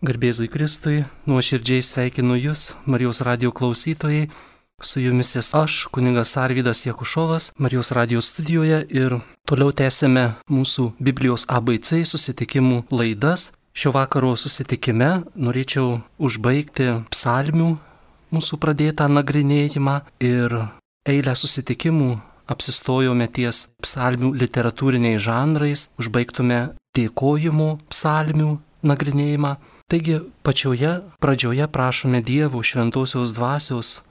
Garbėzui Kristui, nuoširdžiai sveikinu Jūs, Marijos radijo klausytojai. Su Jumis esu aš, kunigas Arvydas Jakušovas, Marijos radijo studijoje ir toliau tęsime mūsų Biblijos ABC susitikimų laidas. Šio vakaro susitikime norėčiau užbaigti psalmių mūsų pradėtą nagrinėjimą ir eilę susitikimų apsistojome ties psalmių literatūriniais žanrais, užbaigtume dėkojimų psalmių nagrinėjimą. Taigi pačioje pradžioje prašome Dievo šventosios dvasios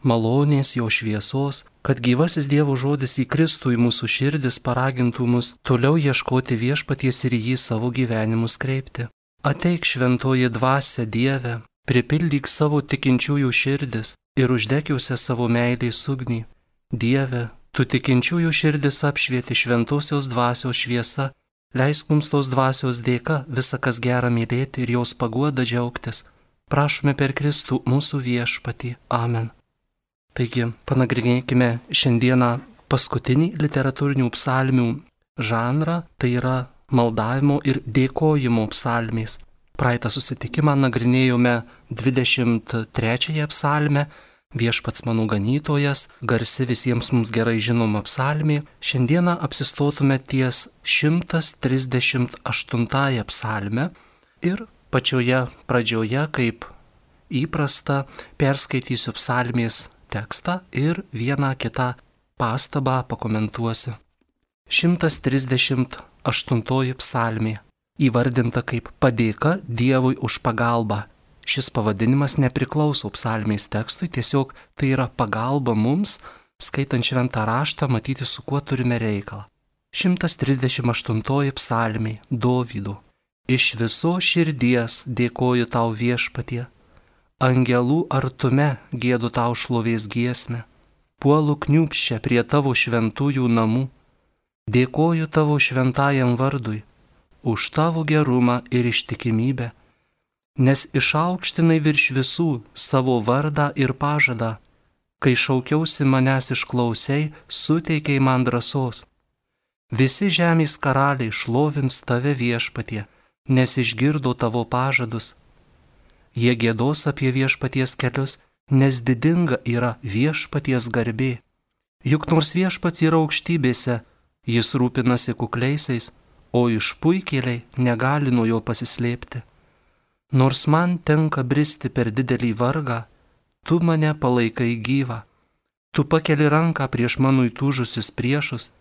malonės, jo šviesos, kad gyvasis Dievo žodis įkristų į mūsų širdis, paragintų mus toliau ieškoti viešpaties ir jį savo gyvenimus kreipti. Ateik šventoji dvasia Dieve, pripildyk savo tikinčiųjų širdis ir uždegiuose savo meilės ugnį. Dieve, tu tikinčiųjų širdis apšvieti šventosios dvasios šviesa, leisk mums tos dvasios dėka visą kas gera mylėti ir jos paguoda džiaugtis. Prašome per Kristų mūsų viešpatį. Amen. Taigi, panagrinėkime šiandieną paskutinį literatūrinių psalmių žanrą, tai yra maldavimo ir dėkojimo psalmės. Praeitą susitikimą nagrinėjome 23 psalmę, Viešpats mano ganytojas, garsi visiems mums gerai žinoma psalmė. Šiandieną apsistotume ties 138 psalmę ir pačioje pradžioje, kaip įprasta, perskaitysiu psalmės tekstą ir vieną kitą pastabą pakomentuosiu. 138 psalmė įvardinta kaip padėka Dievui už pagalbą. Šis pavadinimas nepriklauso psalmės tekstui, tiesiog tai yra pagalba mums, skaitant šventą raštą, matyti, su kuo turime reikalą. 138 psalmė Dovydo. Iš viso širdies dėkoju tau viešpatie, angelų artume giedu tau šlovės giesmę, puolu kniūbsčia prie tavo šventųjų namų, dėkoju tavo šventajam vardui, už tavo gerumą ir ištikimybę, nes išaukštinai virš visų savo vardą ir pažadą, kai šaukiausi manęs išklausiai, suteikiai man drąsos. Visi žemės karaliai šlovins tave viešpatie, nes išgirdo tavo pažadus. Jie giedos apie viešpaties kelius, nes didinga yra viešpaties garbė. Juk nors viešpats yra aukštybėse, jis rūpinasi kukliaisiais, o išpuikėliai negali nuo jo pasislėpti. Nors man tenka bristi per didelį vargą, tu mane palaikai gyvą. Tu pakeli ranką prieš mano įtūžusius priešus,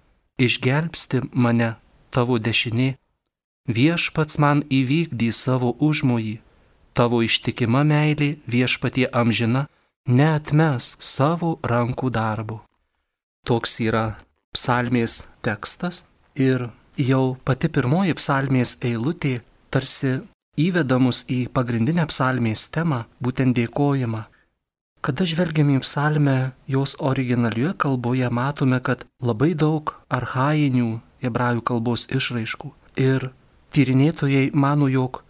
išgelbsti mane tavo dešinė. Viešpats man įvykdys savo užmojį, tavo ištikima meilė viešpatie amžina, neatmesk savo rankų darbo. Toks yra psalmės tekstas ir jau pati pirmoji psalmės eilutė tarsi įveda mus į pagrindinę psalmės temą, būtent dėkojimą. Kada žvelgiame į psalmę, jos originalioje kalboje matome, kad labai daug archainių hebrajų kalbos išraiškų. Ir tyrinėtojai mano, jog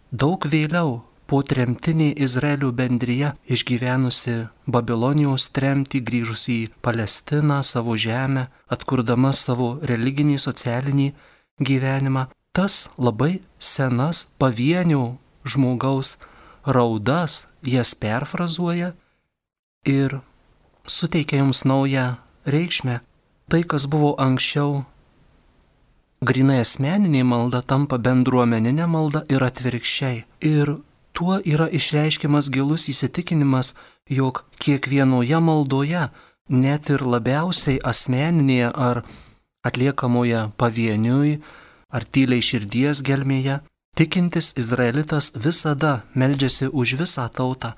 daug vėliau po tremtinė Izraelio bendrija išgyvenusi Babilonijos tremtį, grįžusi į Palestiną, savo žemę, atkurdama savo religinį, socialinį gyvenimą, tas labai senas pavienio žmogaus raudas jas perfrazuoja ir suteikia jums naują reikšmę. Tai, kas buvo anksčiau grynai asmeninė malda, tampa bendruomeninė malda ir atvirkščiai. Ir tuo yra išreiškiamas gilus įsitikinimas, jog kiekvienoje maldoje, net ir labiausiai asmeninėje ar atliekamoje pavieniui, ar tyliai širdies gelmėje, tikintis izraelitas visada meldžiasi už visą tautą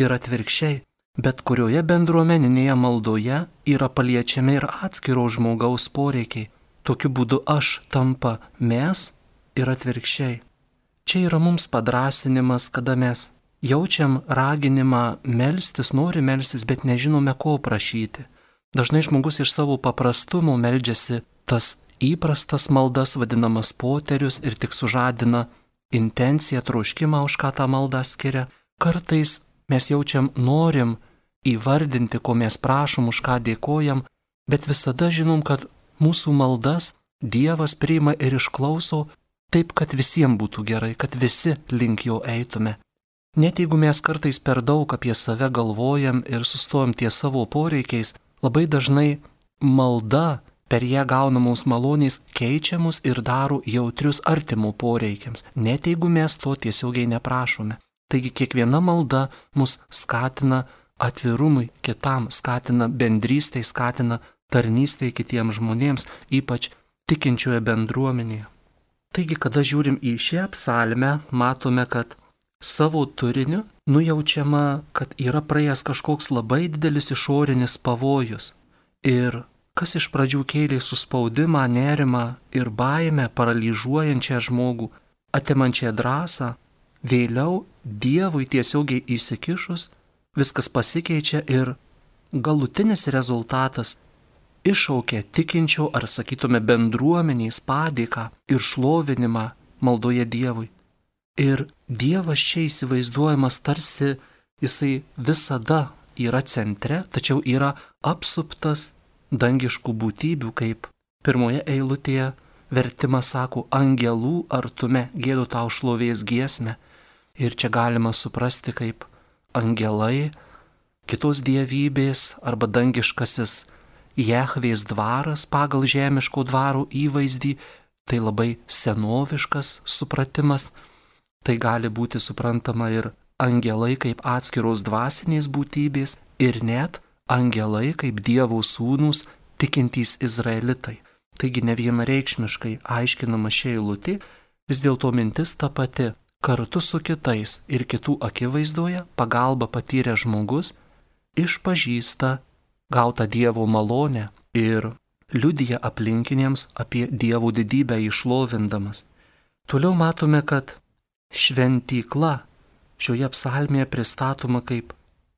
ir atvirkščiai, bet kurioje bendruomeninėje maldoje yra paliečiami ir atskiro žmogaus poreikiai. Tokiu būdu aš tampa mes ir atvirkščiai. Čia yra mums padrasinimas, kada mes jaučiam raginimą melstis, nori melstis, bet nežinome ko prašyti. Dažnai žmogus iš savo paprastumo meldžiasi tas įprastas maldas, vadinamas poterius, ir tik sužadina intenciją, troškimą, už ką tą maldą skiria. Kartais mes jaučiam, norim įvardinti, ko mes prašom, už ką dėkojam, bet visada žinom, kad mūsų maldas Dievas priima ir išklauso taip, kad visiems būtų gerai, kad visi link jo eitume. Net jeigu mes kartais per daug apie save galvojam ir sustojam ties savo poreikiais, labai dažnai malda per ją gaunamos malonės keičia mus ir daro jautrius artimų poreikiams, net jeigu mes to tiesiogiai neprašome. Taigi kiekviena malda mus skatina atvirumui kitam, skatina bendrystei, skatina tarnystei kitiems žmonėms, ypač tikinčioje bendruomenėje. Taigi, kada žiūrim į šią psalmę, matome, kad savo turiniu nujaučiama, kad yra praėjęs kažkoks labai didelis išorinis pavojus. Ir kas iš pradžių kėlė suspaudimą, nerimą ir baimę, paralyžiuojančią žmogų, atimančią drąsą, vėliau Dievui tiesiogiai įsikišus, viskas pasikeičia ir galutinis rezultatas iššaukia tikinčio, ar sakytume bendruomenės padėką ir šlovinimą maldoje Dievui. Ir Dievas čia įsivaizduojamas tarsi jisai visada yra centre, tačiau yra apsuptas dangiškų būtybių, kaip pirmoje eilutėje vertimas sako, angelų artume gėdu tau šlovės giesmę. Ir čia galima suprasti, kaip angelai, kitos dievybės arba dangiškasis Jahvės dvaras pagal žemiško dvaro įvaizdį, tai labai senoviškas supratimas. Tai gali būti suprantama ir angelai kaip atskiros dvasinės būtybės ir net angelai kaip Dievo sūnūs tikintys izraelitai. Taigi ne vienareikšmiškai aiškinama šia eilutė, vis dėlto mintis ta pati. Kartu su kitais ir kitų akivaizdoje pagalba patyrė žmogus išpažįsta gautą Dievo malonę ir liudija aplinkiniams apie Dievo didybę išlovindamas. Toliau matome, kad šventykla šioje psalmėje pristatoma kaip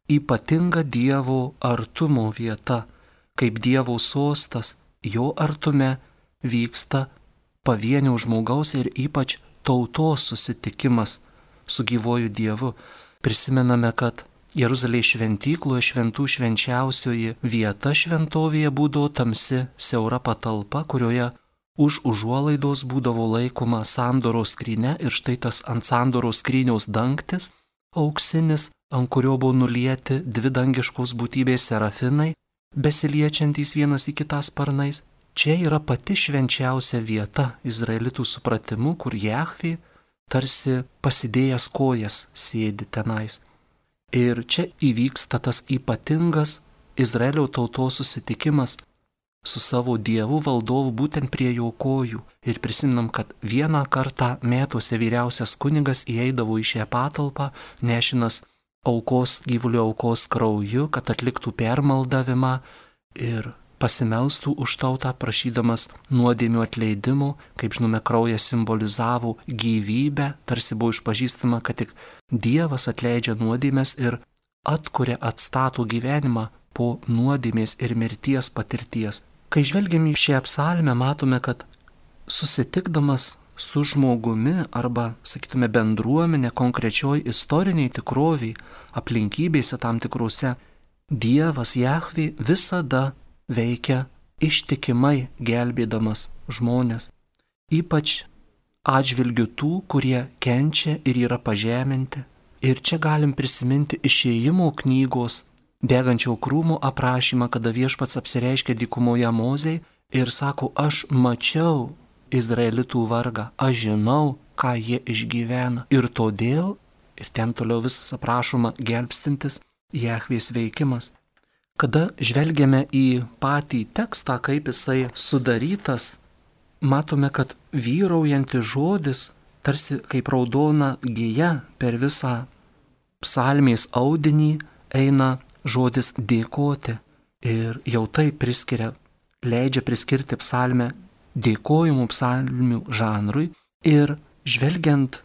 ypatinga Dievo artumo vieta, kaip Dievo sostas, jo artume vyksta pavienio žmogaus ir ypač tautos susitikimas su gyvuoju Dievu. Prisimename, kad Jeruzalės šventykloje šventų švenčiausioji vieta šventovėje būdavo tamsi, siaura patalpa, kurioje už užuolaidos būdavo laikoma sandoros skrynia ir štai tas ant sandoros skryniaus dangtis, auksinis, ant kurio buvo nulieti dvi dangiškos būtybės serafinai, besiliečiantys vienas į kitą sparnais. Čia yra pati švenčiausia vieta izraelitų supratimu, kur Jahvė tarsi pasidėjęs kojas sėdi tenais. Ir čia įvyksta tas ypatingas Izraelio tautos susitikimas su savo Dievu valdovu būtent prie jo kojų. Ir prisiminam, kad vieną kartą metuose vyriausias kunigas įeidavo į šią patalpą, nešinas aukos, gyvulio aukos krauju, kad atliktų permaldavimą ir pasimelstų už tautą, prašydamas nuodėmių atleidimo. Kaip žinome, kraujas simbolizavo gyvybę, tarsi buvo išpažįstama, kad tik Dievas atleidžia nuodėmės ir atkuria, atstato gyvenimą po nuodėmės ir mirties patirties. Kai žvelgiam į šią psalmę, matome, kad susitikdamas su žmogumi arba, sakytume, bendruomenė konkrečioj istoriniai tikroviai, aplinkybėse tam tikrose, Dievas Jahvė visada veikia ištikimai gelbėdamas žmonės, ypač atžvilgiu tų, kurie kenčia ir yra pažeminti. Ir čia galim prisiminti Išėjimo knygos degančio krūmo aprašymą, kada viešpats apsireiškia dykumoje Mozei ir sako, aš mačiau izraelitų vargą, aš žinau, ką jie išgyvena. Ir todėl, ir ten toliau visas aprašoma gelbstintis Jahvės veikimas. Kada žvelgiame į patį tekstą, kaip jisai sudarytas, matome, kad vyraujantis žodis, tarsi kaip raudona gija per visą psalmės audinį, eina žodis dėkoti. Ir jau tai leidžia priskirti psalmę dėkojimų psalmių žanrui. Ir žvelgiant,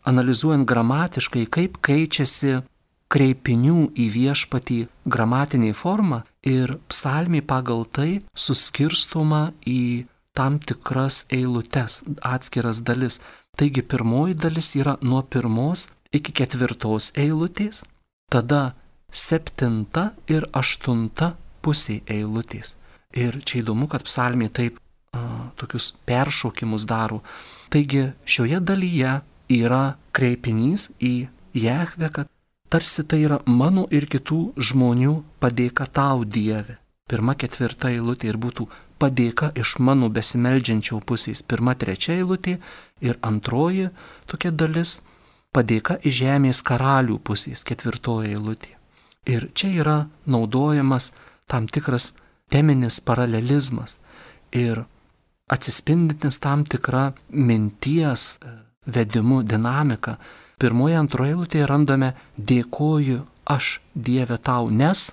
analizuojant gramatiškai, kaip keičiasi kreipinių į viešpatį gramatinė forma ir psalmė pagal tai suskirstoma į tam tikras eilutes, atskiras dalis. Taigi pirmoji dalis yra nuo 1 iki 4 eilutės, tada 7 ir 8 pusė eilutės. Ir čia įdomu, kad psalmė taip tokius peršokimus daro. Taigi šioje dalyje yra kreipinys į Jahvę, kad tarsi tai yra mano ir kitų žmonių padėka tau, Dieve. 1-4 eilutė ir būtų padėka iš mano besimeldžiančio pusės. 1-3 eilutė ir 2 tokia dalis padėka iš žemės karalių pusės. 4 eilutė. Ir čia yra naudojamas tam tikras teminis paralelizmas ir atsispindintis tam tikra minties vedimu dinamika. 1-2 eilutėje randame dėkoju aš, Dieve, tau, nes,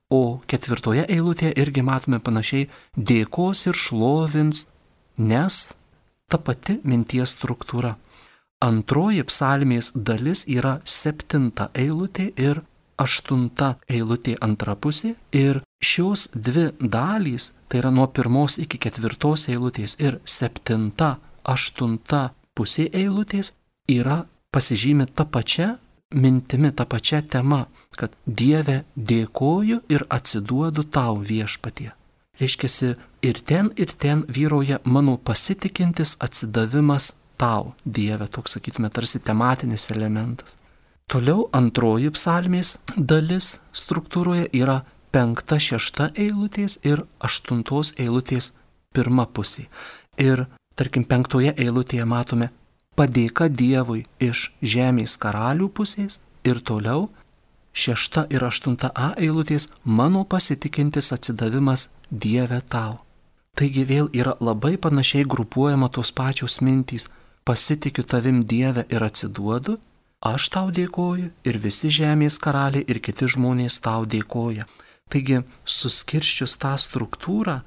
o 4 eilutėje irgi matome panašiai dėkos ir šlovins, nes ta pati minties struktūra. 2 psalmės dalis yra 7 eilutė ir 8 eilutė antra pusė ir šios dvi dalys, tai yra nuo 1 iki 4 eilutės ir 7-8 pusė eilutės, yra pasižymi tą pačią mintimi, tą pačią temą, kad Dieve dėkoju ir atsiduodu tau, Viešpatie. Reiškiasi, ir ten vyrauja mano pasitikintis atsidavimas tau, Dieve, toks sakytume tarsi tematinis elementas. Toliau 2 psalmės dalis struktūroje yra 5-6 eilutės ir 8 eilutės 1 pusė. Ir tarkim 5 eilutėje matome padėka Dievui iš žemės karalių pusės ir toliau 6 ir 8a eilutės mano pasitikintis atsidavimas Dieve tau. Taigi vėl yra labai panašiai grupuojama tos pačios mintys. Pasitikiu tavim, Dieve, ir atsiduodu, aš tau dėkoju ir visi žemės karaliai ir kiti žmonės tau dėkoja. Taigi suskirsčius tą struktūrą,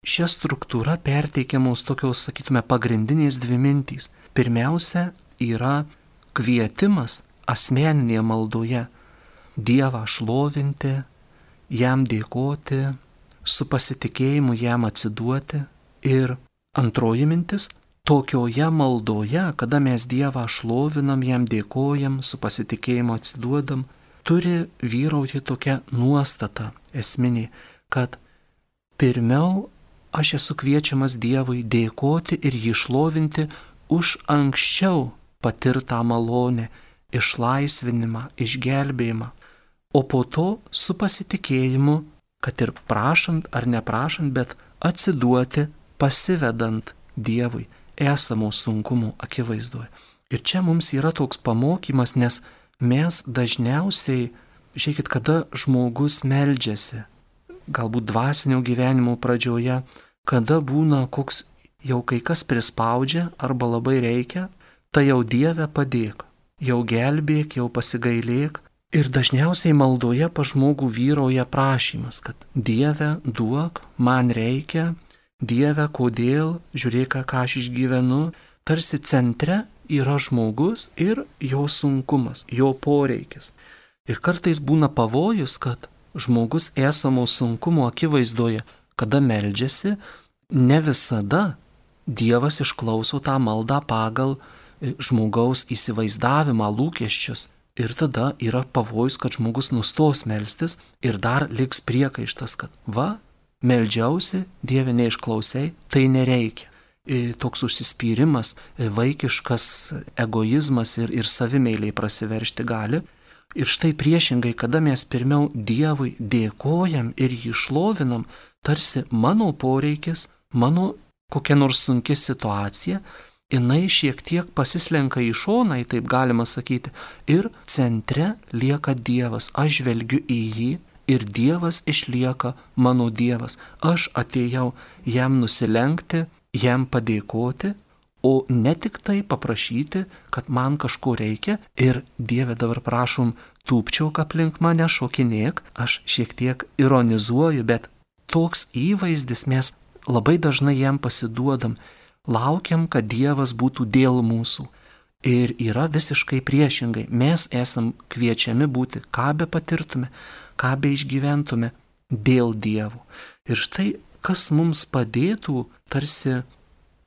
šią struktūrą perteikiamos tokios, sakytume, pagrindinės dvi mintys. Pirmiausia yra kvietimas asmeninėje maldoje Dievą šlovinti, jam dėkoti, su pasitikėjimu jam atsiduoti. Ir antroji mintis, tokioje maldoje, kada mes Dievą šlovinam, jam dėkojam, su pasitikėjimu atsiduodam, turi vyrauti tokia nuostata esminė, kad pirmiau aš esu kviečiamas Dievui dėkoti ir jį šlovinti už anksčiau patirtą malonę, išlaisvinimą, išgelbėjimą, o po to su pasitikėjimu, kad ir prašant ar neprašant, bet atsiduoti, pasivedant Dievui esamo sunkumo akivaizdoje. Ir čia mums yra toks pamokymas, nes mes dažniausiai, žiūrėkit, kada žmogus meldžiasi, galbūt dvasinio gyvenimo pradžioje, kada būna koks jau kai kas prispaudžia arba labai reikia, tai jau Dieve padėk, jau gelbėk, jau pasigailėk. Ir dažniausiai maldoje pa žmogų vyrauja prašymas, kad Dieve duok, man reikia, Dieve kodėl, žiūrėk, ką aš išgyvenu. Tarsi centre yra žmogus ir jo sunkumas, jo poreikis. Ir kartais būna pavojus, kad žmogus esamo sunkumo akivaizdoje, kada meldžiasi, ne visada Dievas išklauso tą maldą pagal žmogaus įsivaizdavimą, lūkesčius. Ir tada yra pavojus, kad žmogus nustos melstis ir dar liks priekaištas, kad va, meldžiausi, Dieve neišklausai, tai nereikia. Toks užsispyrimas, vaikiškas egoizmas ir savimeiliai prasiveršti gali. Ir štai priešingai, kada mes pirmiau Dievui dėkojam ir jį šlovinam, tarsi mano poreikis, mano kokia nors sunki situacija, jinai šiek tiek pasislenka į šoną, taip galima sakyti, ir centre lieka Dievas. Aš žvelgiu į jį ir Dievas išlieka mano Dievas. Aš atėjau jam nusilenkti, jam padėkoti, o ne tik tai paprašyti, kad man kažko reikia ir Dieve dabar prašom tūpčiok aplink mane, šokinėk. Aš šiek tiek ironizuoju, bet toks įvaizdis mes labai dažnai jam pasiduodam. Laukiam, kad Dievas būtų dėl mūsų. Ir yra visiškai priešingai. Mes esam kviečiami būti, ką be patirtume, ką be išgyventume, dėl Dievo. Ir štai, kas mums padėtų tarsi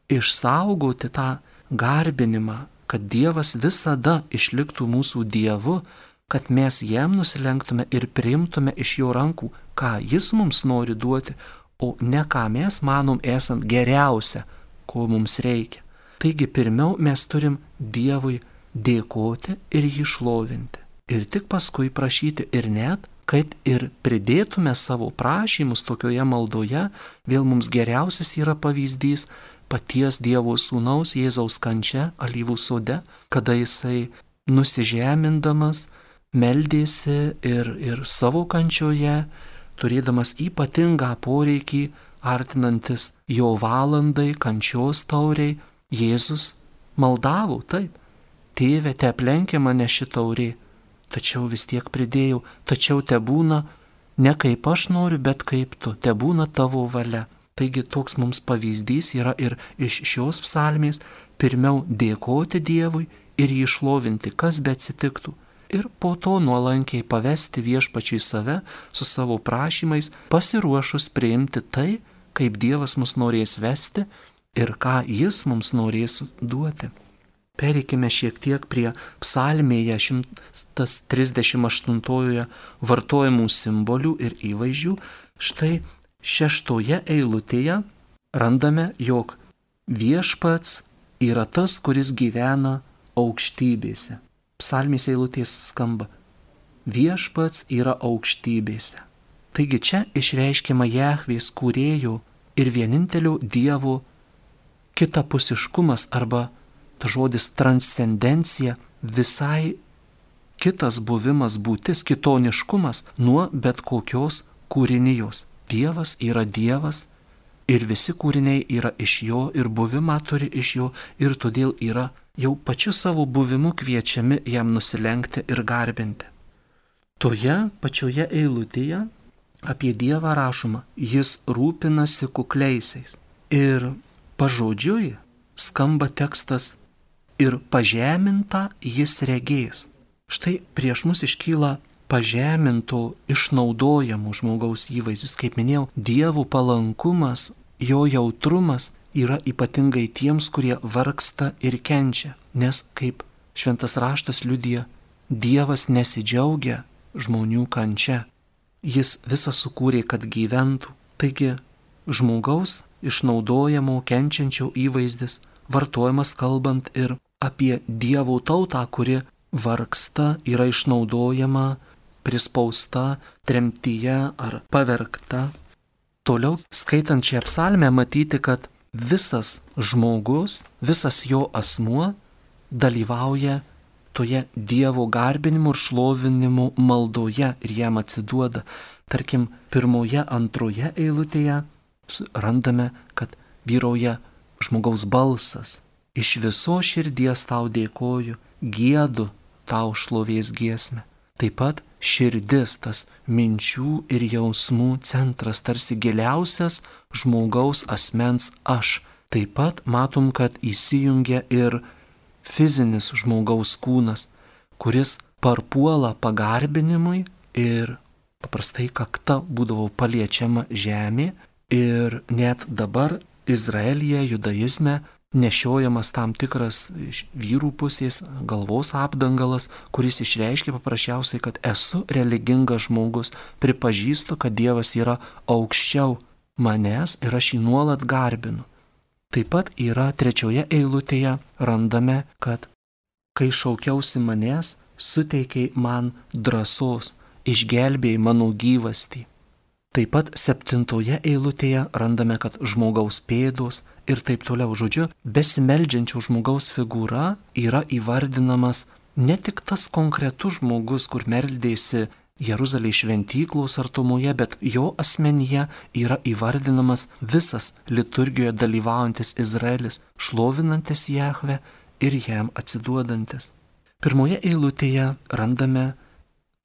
išsaugoti tą garbinimą, kad Dievas visada išliktų mūsų Dievu, kad mes jam nusilenktume ir priimtume iš jo rankų, ką jis mums nori duoti, o ne ką mes manom esant geriausia, ko mums reikia. Taigi pirmiau mes turim Dievui dėkoti ir jį šlovinti. Ir tik paskui prašyti ir net, kad ir pridėtume savo prašymus tokioje maldoje, vėl mums geriausias yra pavyzdys paties Dievo Sūnaus Jėzaus kančia alyvų sode, kada jisai nusižemindamas meldėsi ir savo kančioje, turėdamas ypatingą poreikį, artinantis jo valandai, kančios tauriai, Jėzus maldavo taip: Tėve, te aplenkia mane ši taurė, tačiau vis tiek pridėjau, tačiau te būna ne kaip aš noriu, bet kaip tu, te būna tavo valia. Taigi toks mums pavyzdys yra ir iš šios psalmės: pirmiau dėkoti Dievui ir jį šlovinti, kas be atsitiktų. Ir po to nuolankiai pavesti viešpačiui save su savo prašymais, pasiruošus priimti tai, kaip Dievas mus norės vesti ir ką jis mums norės duoti. Pereikime šiek tiek prie psalmėje 138 vartojamų simbolių ir įvaizdžių. Štai 6 eilutėje randame, jog viešpats yra tas, kuris gyvena aukštybėse. Psalmės eilutės skamba: viešpats yra aukštybėse. Taigi čia išreiškiama Jahvės kūrėjo ir vienintelio Dievo kitapusiškumas arba ta žodis transcendencija, visai kitas buvimas, būtis, kitoniškumas nuo bet kokios kūrinijos. Dievas yra Dievas ir visi kūriniai yra iš jo ir buvimą turi iš jo ir todėl yra jau pačiu savo buvimu kviečiami jam nusilenkti ir garbinti. Toje pačioje eilutėje apie Dievą rašoma: jis rūpinasi kukliaisiais. Ir pažodžiui skamba tekstas: ir pažemintą jis regės. Štai prieš mus iškyla pažeminto, išnaudojamo žmogaus įvaizdis. Kaip minėjau, Dievo palankumas, jo jautrumas yra ypatingai tiems, kurie vargsta ir kenčia. Nes, kaip šventas raštas liudija, Dievas nesidžiaugia žmonių kančia. Jis visą sukūrė, kad gyventų. Taigi, žmogaus išnaudojamo, kenčiančio įvaizdis vartojamas kalbant ir apie Dievo tautą, kuri vargsta, yra išnaudojama, prispausta, tremtyje ar pavergta. Toliau, skaitant šią psalmę, matyti, kad visas žmogus, visas jo asmuo dalyvauja toje Dievo garbinimu ir šlovinimu maldoje ir jam atsiduoda. Tarkim, 1, 2 eilutėje randame, kad vyrauja žmogaus balsas. Iš viso širdies tau dėkoju, giedu tau šlovės giesmę. Taip pat širdis, tas minčių ir jausmų centras, tarsi giliausias žmogaus asmens aš. Taip pat matom, kad įsijungia ir fizinis žmogaus kūnas, kuris parpuola pagarbinimui ir paprastai kakta būdavo paliečiama žemė ir net dabar Izraelyje, judaizme nešiojamas tam tikras iš vyrų pusės galvos apdangalas, kuris išreiškia paprasčiausiai, kad esu religingas žmogus, pripažįstu, kad Dievas yra aukščiau manęs ir aš jį nuolat garbinu. Taip pat yra 3 eilutėje randame, kad kai šaukiausi manęs, suteikiai man drąsos, išgelbėjai mano gyvastį. Taip pat 7 eilutėje randame, kad žmogaus pėdos ir taip toliau. Žodžiu, besimeldžiančio žmogaus figūra yra įvardinamas ne tik tas konkretus žmogus, kur meldėsi Jeruzalės šventyklos artumoje, bet jo asmenyje yra įvardinamas visas liturgijoje dalyvaujantis Izraelis, šlovinantis Jahvę ir jam atsiduodantis. 1 eilutėje randame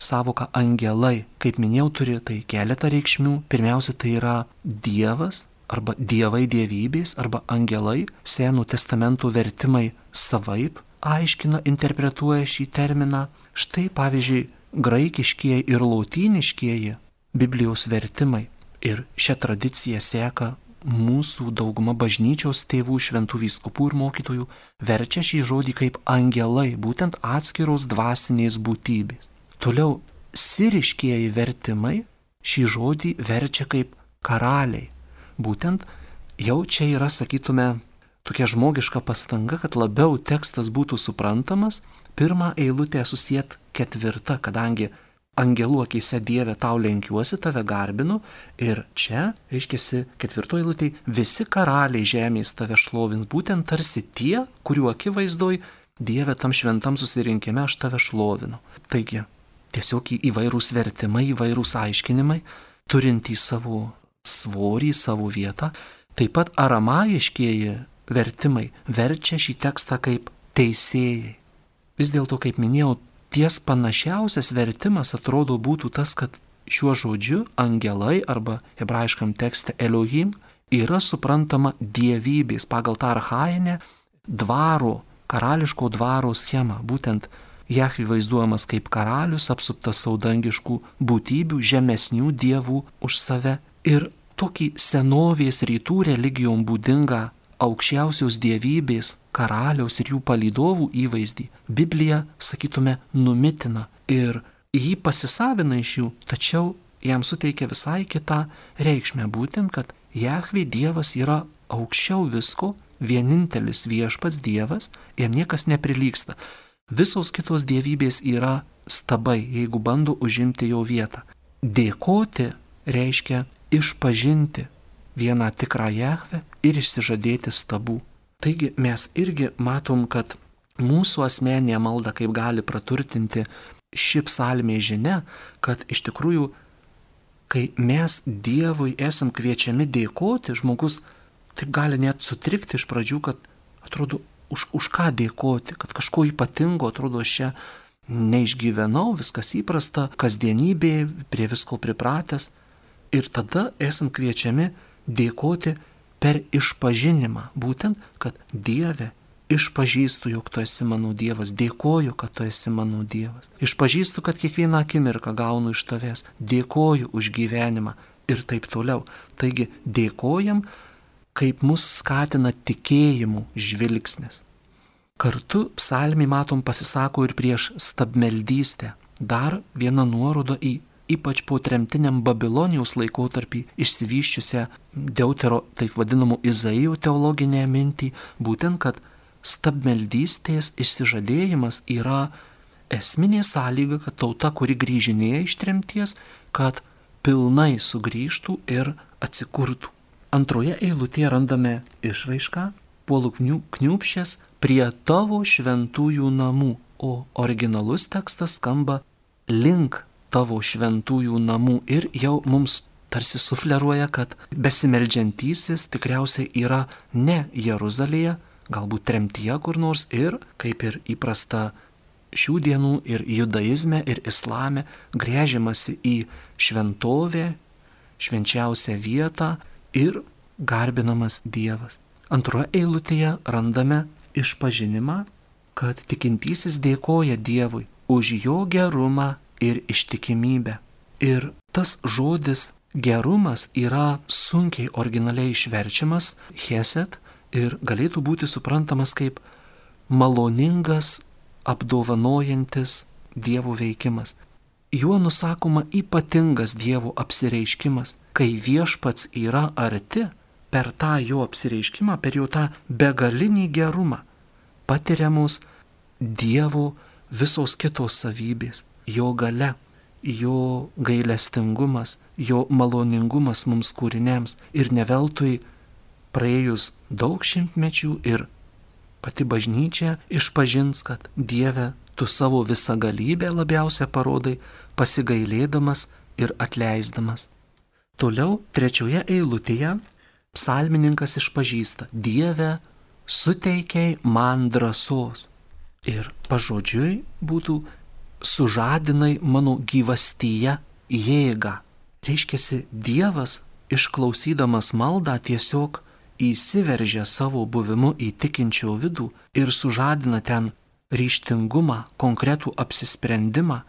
savoką angelai. Kaip minėjau, turi tai keletą reikšmių. Pirmiausia, tai yra Dievas arba dievai dievybės arba angelai. Senų testamentų vertimai savaip aiškina, interpretuoja šį terminą. Štai pavyzdžiui, graikiškieji ir lotyniškieji Biblijos vertimai. Ir šią tradiciją seka mūsų dauguma bažnyčios tėvų, šventų vyskupų ir mokytojų, verčia šį žodį kaip angelai, būtent atskiros dvasinės būtybės. Toliau, siriškieji vertimai šį žodį verčia kaip karaliai. būtent jau čia yra, sakytume, tokia žmogiška pastanga, kad labiau tekstas būtų suprantamas, pirmą eilutę susijęt ketvirtą, kadangi angelų akyse Dieve tau lenkiuosi, tave garbinu, ir čia, reiškiasi, ketvirtoji eilutė, visi karaliai žemės tave šlovins, būtent tarsi tie, kurių akivaizdoj Dieve tam šventam susirinkime aš tave šlovinu. Taigi, tiesiog įvairūs vertimai, įvairūs aiškinimai, turintys savo svorį, savo vietą, taip pat aramaiškieji vertimai verčia šį tekstą kaip teisėjai. Vis dėlto, kaip minėjau, ties panašiausias vertimas atrodo būtų tas, kad šiuo žodžiu angelai arba hebrajiškam tekste Elohim yra suprantama dievybės pagal tą archajinę dvaro, karališko dvaro schemą. Būtent Jahvė vaizduojamas kaip karalius, apsuptas saudangiškų būtybių, žemesnių dievų už save. Ir tokį senovės rytų religijom būdingą aukščiausios dievybės, karaliaus ir jų palydovų įvaizdį Biblija, sakytume, numitina ir jį pasisavina iš jų, tačiau jam suteikia visai kitą reikšmę, būtent, kad Jahvė Dievas yra aukščiau visko, vienintelis viešpats Dievas, jam niekas neprilygsta. Visos kitos dievybės yra stabai, jeigu bando užimti jo vietą. Dėkoti reiškia išpažinti vieną tikrą Jahvę ir išsižadėti stabų. Taigi mes irgi matom, kad mūsų asmeninė malda kaip gali praturtinti ši psalmė žinia, kad iš tikrųjų, kai mes Dievui esam kviečiami dėkoti, žmogus taip gali net sutrikti iš pradžių, kad atrodo, už ką dėkoti, kad kažko ypatingo, atrodo, aš čia neišgyvenau, viskas įprasta, kasdienybė, prie visko pripratęs. Ir tada esam kviečiami dėkoti per išpažinimą, būtent, kad Dieve, išpažįstu, jog tu esi mano Dievas, dėkoju, kad tu esi mano Dievas. Išpažįstu, kad kiekvieną akimirką gaunu iš tavęs, dėkoju už gyvenimą ir taip toliau. Taigi dėkojam, kaip mus skatina tikėjimų žvilgsnis. Kartu psalmė, matom, pasisako ir prieš stabmeldystę. Dar viena nuoroda į ypač po tremtiniam Babilonijos laikotarpį išsivyščiusią Deutero, taip vadinamų Izaijo teologinę mintį, būtent, kad stabmeldystės išsižadėjimas yra esminė sąlyga, kad tauta, kuri grįžinėja iš tremties, kad pilnai sugrįžtų ir atsikurtų. Antroje eilutėje randame išraišką puolu kniūpščias prie tavo šventųjų namų, o originalus tekstas skamba link tavo šventųjų namų ir jau mums tarsi sufleruoja, kad besimeldžiantysis tikriausiai yra ne Jeruzalėje, galbūt tremtyje kur nors ir, kaip ir įprasta šių dienų ir judaizme ir islame, gręžiamasi į šventovę, švenčiausią vietą ir garbinamas Dievas. Antroje eilutėje randame išpažinimą, kad tikintysis dėkoja Dievui už jo gerumą ir ištikimybę. Ir tas žodis gerumas yra sunkiai originaliai išverčiamas chesed ir galėtų būti suprantamas kaip maloningas, apdovanojantis Dievo veikimas. Juo nusakoma ypatingas Dievo apsireiškimas, kai viešpats yra arti, per tą jo apsireiškimą, per jo tą begalinį gerumą patiriamos Dievo visos kitos savybės, jo galia, jo gailestingumas, jo maloningumas mums kūriniams. Ir ne veltui praėjus daug šimtmečių ir pati bažnyčia išpažins, kad Dieve, tu savo visagalybę labiausia parodai, pasigailėdamas ir atleisdamas. Toliau trečioje eilutėje psalmininkas išpažįsta: Dieve, suteikiai man drąsos. Ir pažodžiui būtų: sužadinai mano gyvastyje jėgą. Reiškiasi, Dievas, išklausydamas maldą, tiesiog įsiveržia savo buvimu į tikinčio vidų ir sužadina ten ryžtingumą, konkretų apsisprendimą,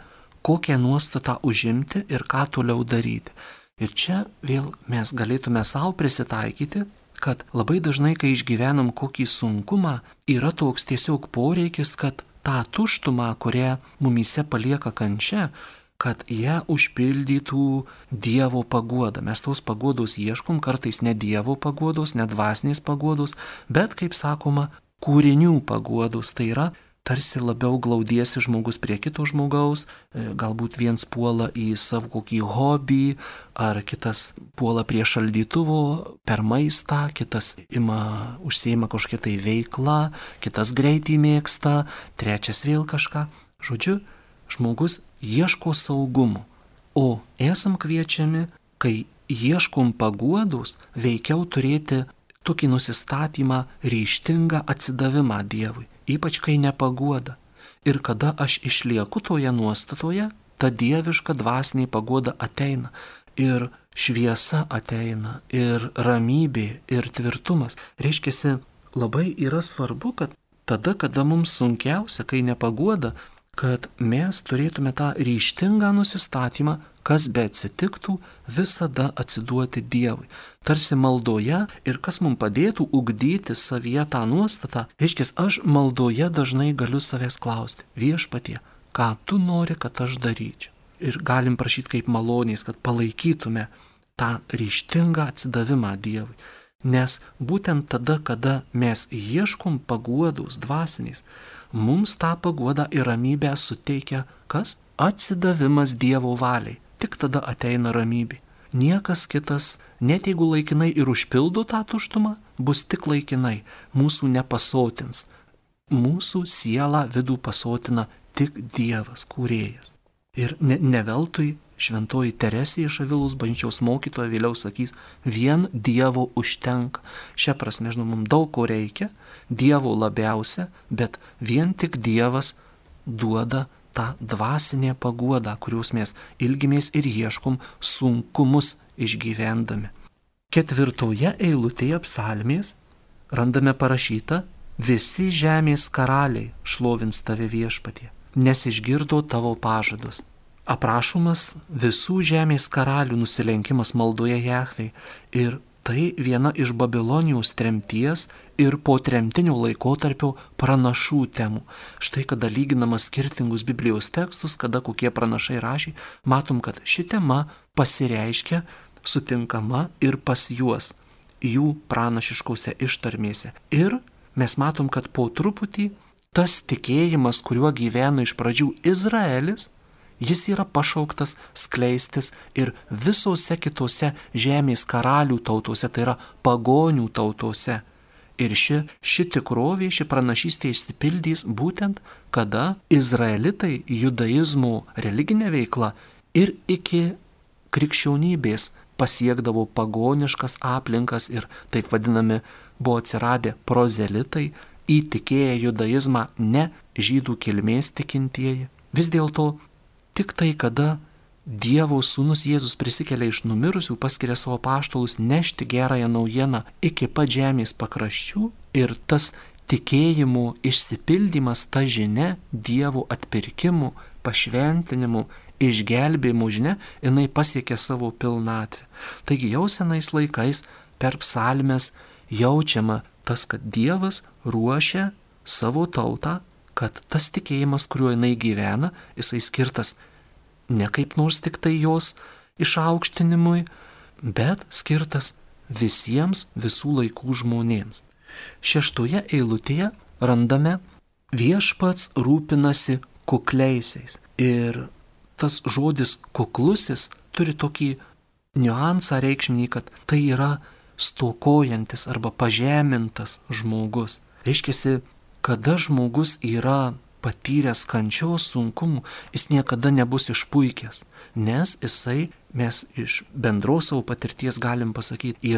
kokią nuostatą užimti ir ką toliau daryti. Ir čia vėl mes galėtume savo prisitaikyti, kad labai dažnai, kai išgyvenam kokį sunkumą, yra toks tiesiog poreikis, kad tą tuštumą, kurią mumyse palieka kančia, kad ją užpildytų Dievo paguoda. Mes tos paguodos ieškom, kartais ne Dievo paguodos, ne dvasinės paguodos, bet, kaip sakoma, kūrinių paguodos. Tai yra tarsi labiau glaudiesi žmogus prie kito žmogaus, galbūt viens puola į savo kokį hobį, ar kitas puola prie šaldytuvo per maistą, kitas užsiima kažkokią tai veiklą, kitas greitį mėgsta, trečias vėl kažką. Žodžiu, žmogus ieško saugumo, o esam kviečiami, kai ieškom paguodos, veikiau turėti tokį nusistatymą, ryžtingą atsidavimą Dievui, ypač kai nepaguoda. Ir kada aš išlieku toje nuostatoje, ta dieviška dvasinė paguoda ateina, ir šviesa ateina, ir ramybė, ir tvirtumas. Reiškiasi, labai yra svarbu, kad tada, kada mums sunkiausia, kai nepaguoda, kad mes turėtume tą ryžtingą nusistatymą, kas be atsitiktų, visada atsiduoti Dievui. Tarsi maldoje, ir kas mums padėtų ugdyti savyje tą nuostatą, reiškia, aš maldoje dažnai galiu savęs klausti: Viešpatie, ką tu nori, kad aš daryčiau? Ir galim prašyti kaip malonės, kad palaikytume tą ryžtingą atsidavimą Dievui. Nes būtent tada, kada mes ieškom paguodos dvasinės, mums tą paguodą ir ramybę suteikia kas? Atsidavimas Dievo valiai. Tik tada ateina ramybė. Niekas kitas, net jeigu laikinai ir užpildo tą tuštumą, bus tik laikinai, mūsų nepasotins. Mūsų sielą vidų pasotina tik Dievas, kūrėjas. Ir ne veltui šventoji Teresė iš Avilos bažnyčios mokytoja vėliau sakys, vien Dievo užtenka. Šia prasme, žinoma, mums daug ko reikia, Dievo labiausia, bet vien tik Dievas duoda tą dvasinę paguodą, kurios mes ilgimės ir ieškom sunkumus išgyvendami. 4 eilutėje psalmės randame parašyta: visi žemės karaliai šlovins tave Viešpatie, nes išgirdo tavo pažadus. Aprašomas visų žemės karalių nusilenkimas maldoje Jahvei, ir tai viena iš Babilonijos tremties ir po tremtinio laikotarpio pranašų temų. Štai kada lyginama skirtingus Biblijos tekstus, kada kokie pranašai rašė, matom, kad ši tema pasireiškia, sutinkama ir pas juos, jų pranašiškose ištarmėse. Ir mes matom, kad po truputį tas tikėjimas, kuriuo gyveno iš pradžių Izraelis, jis yra pašauktas skleistis ir visose kitose žemės karalių tautose, tai yra pagonių tautose. Ir ši tikrovė, ši pranašystė išsipildys būtent, kada izraelitai judaizmo religinė veikla ir iki krikščionybės pasiekdavo pagoniškas aplinkas ir taip vadinami buvo atsiradę prozelitai, įtikėję judaizmą ne žydų kilmės tikintieji. Vis dėlto tik tai, kada Dievo sūnus Jėzus prisikelia iš numirusių, paskiria savo apaštalus nešti gerąją naujieną iki pat žemės pakraščių, ir tas tikėjimo išsipildymas, ta žinia, Dievo atpirkimų, pašventinimų, išgelbėjimų žinia, jinai pasiekė savo pilnatvę. Taigi jau senais laikais per psalmes jaučiama tas, kad Dievas ruošia savo tautą, kad tas tikėjimas, kuriuo jinai gyvena, jisai skirtas ne kaip nors tik tai jos išaukštinimui, bet skirtas visiems visų laikų žmonėms. 6 eilutėje randame: viešpats rūpinasi kukliaisiais. Ir tas žodis kuklusis turi tokį niuansą reikšminį, kad tai yra stokojantis arba pažemintas žmogus. Reiškiasi, kada žmogus yra patyręs kančios sunkumų, jis niekada nebus išpuikęs, nes jisai, mes iš bendros savo patirties galim pasakyti,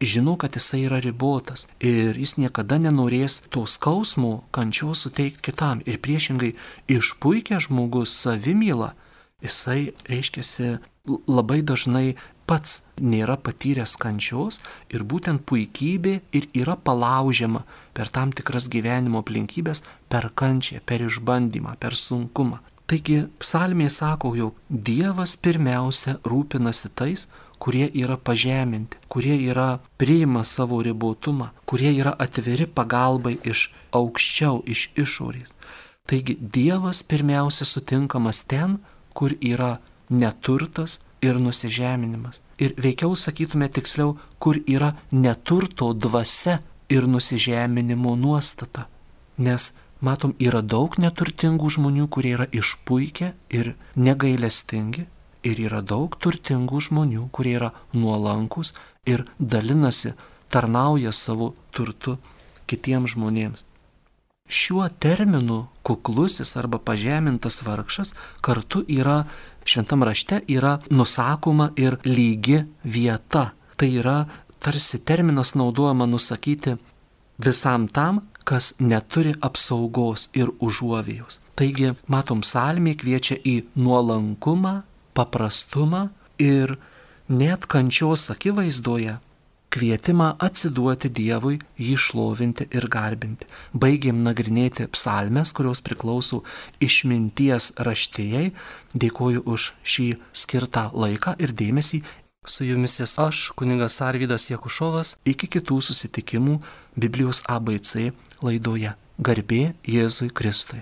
žino, kad jisai yra ribotas ir jis niekada nenorės to skausmo, kančios suteikti kitam. Ir priešingai, išpuikęs žmogus savimyla, jisai, reiškiasi, labai dažnai pats nėra patyręs kančios, ir būtent puikybė ir yra palaužiama per tam tikras gyvenimo aplinkybės, per kančią, per išbandymą, per sunkumą. Taigi psalmė sako, jog Dievas pirmiausia rūpinasi tais, kurie yra pažeminti, kurie priima savo ribotumą, kurie yra atviri pagalbai iš aukščiau, iš išorės. Taigi Dievas pirmiausia sutinkamas ten, kur yra neturtas ir nusižeminimas. Ir veikiau sakytume tiksliau, kur yra neturto dvasia ir nusižeminimo nuostata. Nes, matom, yra daug neturtingų žmonių, kurie yra išpuikę ir negailestingi. Ir yra daug turtingų žmonių, kurie yra nuolankus ir dalinasi, tarnauja savo turtu kitiems žmonėms. Šiuo terminu kuklusis arba pažemintas vargšas kartu yra, šventam rašte yra nusakoma ir lygi vieta. Tai yra tarsi terminas naudojama nusakyti visam tam, kas neturi apsaugos ir užuovėjos. Taigi, matom, psalmė kviečia į nuolankumą, paprastumą ir net kančios akivaizdoje kvietimą atsiduoti Dievui, jį šlovinti ir garbinti. Baigėm nagrinėti psalmes, kurios priklauso išminties raštijai. Dėkoju už šį skirtą laiką ir dėmesį. Su jumis esu aš, kunigas Arvydas Jakušovas. Iki kitų susitikimų Biblijos ABC laidoje. Garbė Jėzui Kristui.